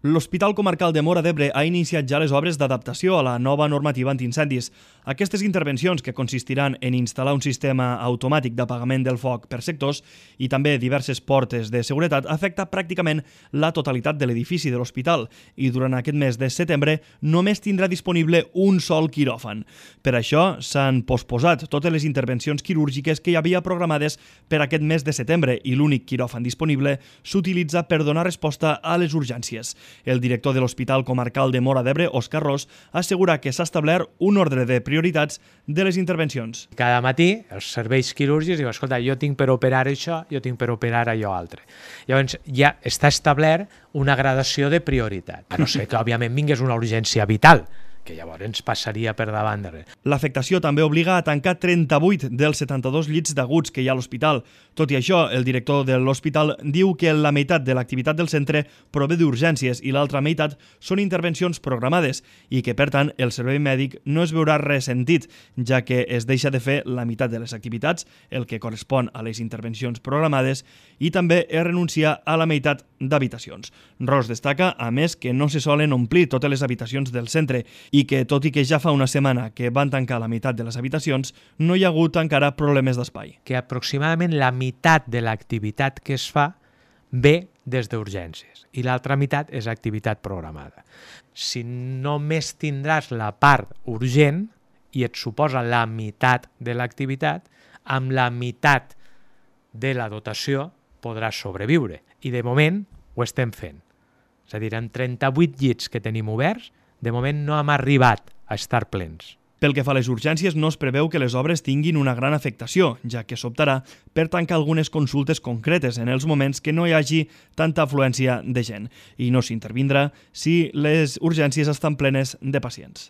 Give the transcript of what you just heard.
L'Hospital Comarcal de Móra d'Ebre ha iniciat ja les obres d'adaptació a la nova normativa antiincendis. Aquestes intervencions, que consistiran en instal·lar un sistema automàtic d'apagament del foc per sectors i també diverses portes de seguretat, afecta pràcticament la totalitat de l'edifici de l'hospital i durant aquest mes de setembre només tindrà disponible un sol quiròfan. Per això s'han posposat totes les intervencions quirúrgiques que hi havia programades per aquest mes de setembre i l'únic quiròfan disponible s'utilitza per donar resposta a les urgències. El director de l'Hospital Comarcal de Móra d'Ebre, Òscar Ros, assegura que s'ha establert un ordre de prioritats de les intervencions. Cada matí els serveis quirúrgics diuen, escolta, jo tinc per operar això, jo tinc per operar allò altre. Llavors ja està establert una gradació de prioritat. A no ser que, òbviament, vingués una urgència vital, que llavors ens passaria per davant de res. L'afectació també obliga a tancar 38 dels 72 llits d'aguts que hi ha a l'hospital. Tot i això, el director de l'hospital diu que la meitat de l'activitat del centre prové d'urgències i l'altra meitat són intervencions programades i que, per tant, el servei mèdic no es veurà ressentit, ja que es deixa de fer la meitat de les activitats, el que correspon a les intervencions programades, i també es renuncia a la meitat d'habitacions. Ros destaca, a més, que no se solen omplir totes les habitacions del centre i que, tot i que ja fa una setmana que van tancar la meitat de les habitacions, no hi ha hagut encara problemes d'espai. Que aproximadament la meitat de l'activitat que es fa ve des d'urgències i l'altra meitat és activitat programada. Si només tindràs la part urgent i et suposa la meitat de l'activitat, amb la meitat de la dotació podràs sobreviure. I de moment ho estem fent. És a dir, amb 38 llits que tenim oberts, de moment no hem arribat a estar plens. Pel que fa a les urgències, no es preveu que les obres tinguin una gran afectació, ja que s'optarà per tancar algunes consultes concretes en els moments que no hi hagi tanta afluència de gent, i no s'intervindrà si les urgències estan plenes de pacients.